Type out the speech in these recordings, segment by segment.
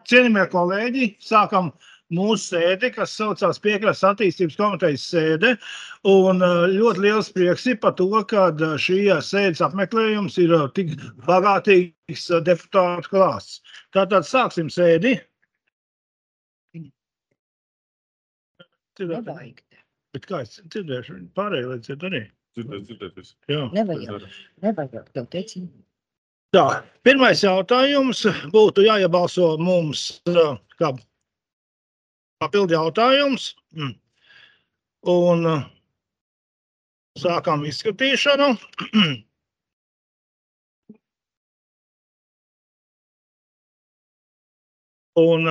Cienījamie kolēģi, sākam mūsu sēdi, kas saucās Piekrastes attīstības komitejas sēde, un ļoti liels prieks ir par to, ka šī sēdes apmeklējums ir tik bagātīgs deputātu klāsts. Tātad sāksim sēdi. Nevajag. Bet kā es dzirdēšu, pārējie lai dzird arī? Dzirdēt. Jā. Nevajag, tev teici. Tā, pirmais jautājums būtu jāiebalso mums kā papildu jautājums. Un sākam izskatīšanu. Un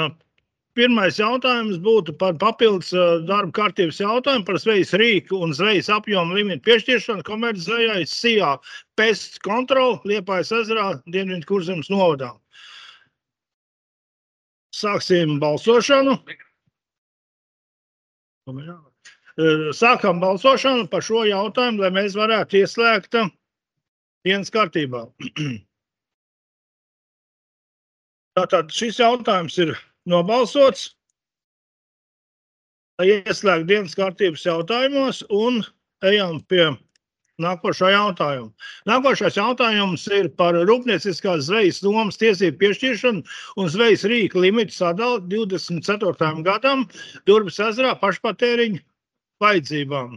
pirmais jautājums būtu par papildus darba kārtības jautājumu par zvejas rīku un zvejas apjomu limitu piešķiršanu komercdzvejai SIA Pest Control Liepājas ezerā Dienvidu Kurzemes novadā. Sāksim balsošanu. Sākam balsošanu par šo jautājumu, lai mēs varētu ieslēgt dienas kārtībā. Tātad šis jautājums ir nobalsots, lai ieslēgtu dienas kārtības jautājumos un ejam pie nākošā jautājuma. Nākošais jautājums ir par rūpnieciskās zvejas nomas tiesību piešķiršanu un zvejas rīka limitu sadali 24. gadam Durbes ezerā pašpatēriņa vajadzībām.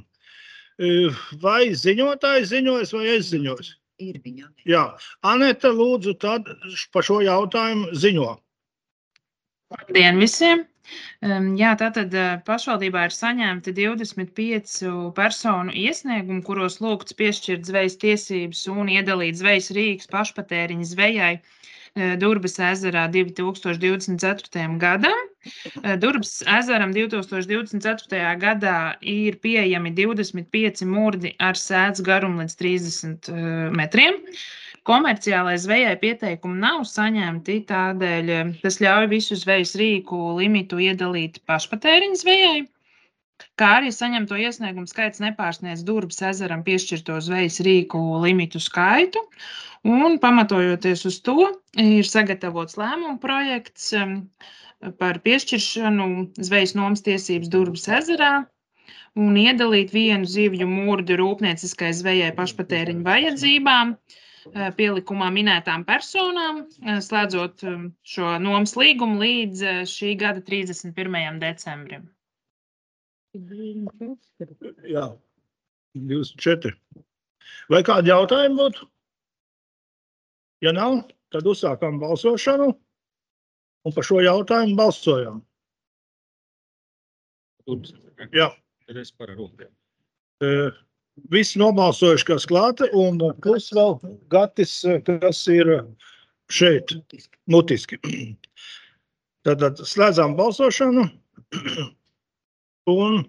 Vai ziņotājs ziņojas vai es ziņoju? Ir viņa. Jā. Aneta, lūdzu, tad par šo jautājumu ziņo. Labdien visiem! Jā, tātad pašvaldībā ir saņemti 25 personu iesniegumi, kuros lūgts piešķirt zvejas tiesības un iedalīt zvejas rīks pašpatēriņa zvejai Durbes ezerā 2024. gadam. Durbes ezeram 2024. gadā ir pieejami 25 murdi ar sēdz garumu līdz 30 metriem. Komerciālai zvejai pieteikumu nav saņemti, tādēļ tas ļauj visu zvejas rīku limitu iedalīt pašpatēriņa zvejai, kā arī saņemto iesniegumu skaits nepārsniedz Durbes ezeram piešķirto zvejas rīku limitu skaitu, un pamatojoties uz to ir sagatavots lēmuma projekts par piešķiršanu zvejas nomas tiesības Durbes ezerā un iedalīt vienu zivju murdu rūpnieciskai zvejai pašpatēriņa vajadzībām, pielikumā minētām personām, slēdzot šo nomas līgumu līdz šī gada 31. decembrim. Jā, 24. Vai kādi jautājumi būtu? Ja nav, tad uzsākam balsošanu un par šo jautājumu balsojam. Jā. Es par rūpiem. Visi nobalsojuši, kas klāta, un plus vēl Gatis, kas ir šeit, mutiski. Tātad slēdzām balsošanu, un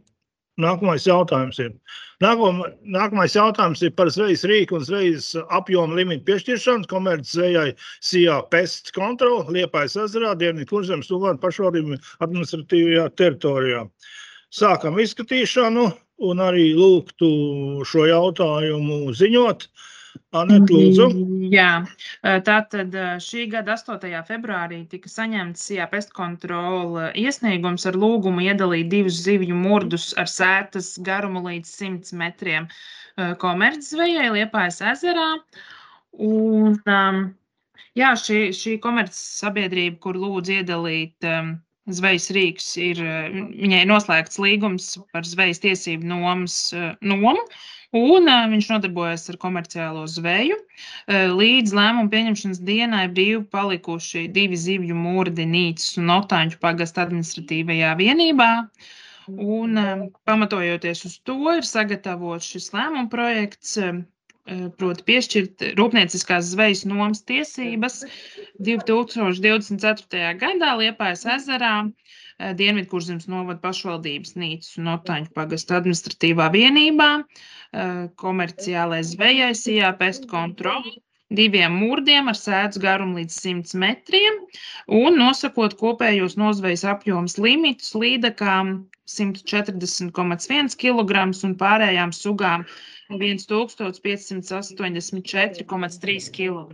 nākamais jautājums ir. Nākamais jautājums ir par zvejas rīku un zvejas apjomu limitu piešķiršanu komercdzvejai SIA Pest Control Liepājas ezerā Dienvidu Kurzemes novada pašvaldību administratīvajā teritorijā. Sākam izskatīšanu un arī lūgtu šo jautājumu ziņot. Anet, lūdzu. Jā, tātad šī gada 8. februārī tika saņemts SIA Pest Control iesniegums ar lūgumu iedalīt 2 zivju murdus ar sētas garumu līdz 100 metriem komercdzvejai Liepājas ezerā. Un, jā, šī komercsabiedrība, kur lūdz iedalīt zvejas rīks, viņai ir noslēgts līgums par zvejas tiesību nomu, un viņš nodarbojas ar komerciālo zveju. Līdz lēmumu pieņemšanas dienai brīvi palikuši 2 zivju murdi Nīcas un Otāņu pagasta administratīvajā vienībā. Un, pamatojoties uz to, ir sagatavots šis lēmuma projekts, proti piešķirt rūpnieciskās zvejas nomas tiesības 2024. gadā Liepājas ezerā Dienvidu Kurzemes novada pašvaldības Nīcas un Otāņu pagasta administratīvā vienībā, komerciālai zvejai SIA Pest Control, 2 murdiem ar sēdz garumu līdz 100 metriem un nosakot kopējos nozvejas apjomas limitus līdakām 140,1 kg un pārējām sugām 1584,3 kg.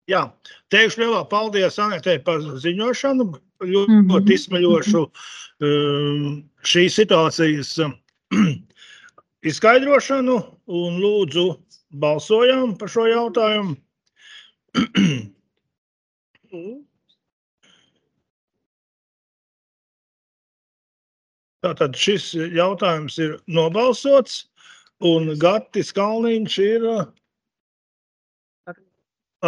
Jā, teikšu lielā paldies Anetei par ziņošanu, ļoti izsmeļošu šīs situācijas izskaidrošanu un lūdzu balsojām par šo jautājumu. Tātad šis jautājums ir nobalsots un Gatis Kalniņš ir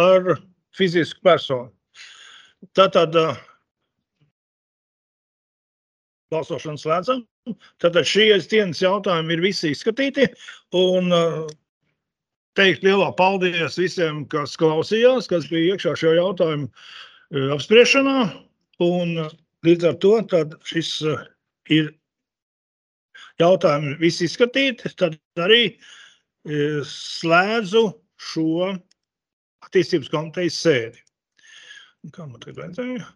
ar fizisku personu. Tātad balsošanu slēdzam. Tātad šīs dienas jautājumi ir visi izskatīti un teikt lielā paldies visiem, kas klausījās, kas bija iekšā šo jautājumu apspriešanā. Un līdz ar to tad šis ir jautājumi visi izskatīti. Tad arī slēdzu šo attīstības komitejas sēdi. Kā man tagad vajadzēja?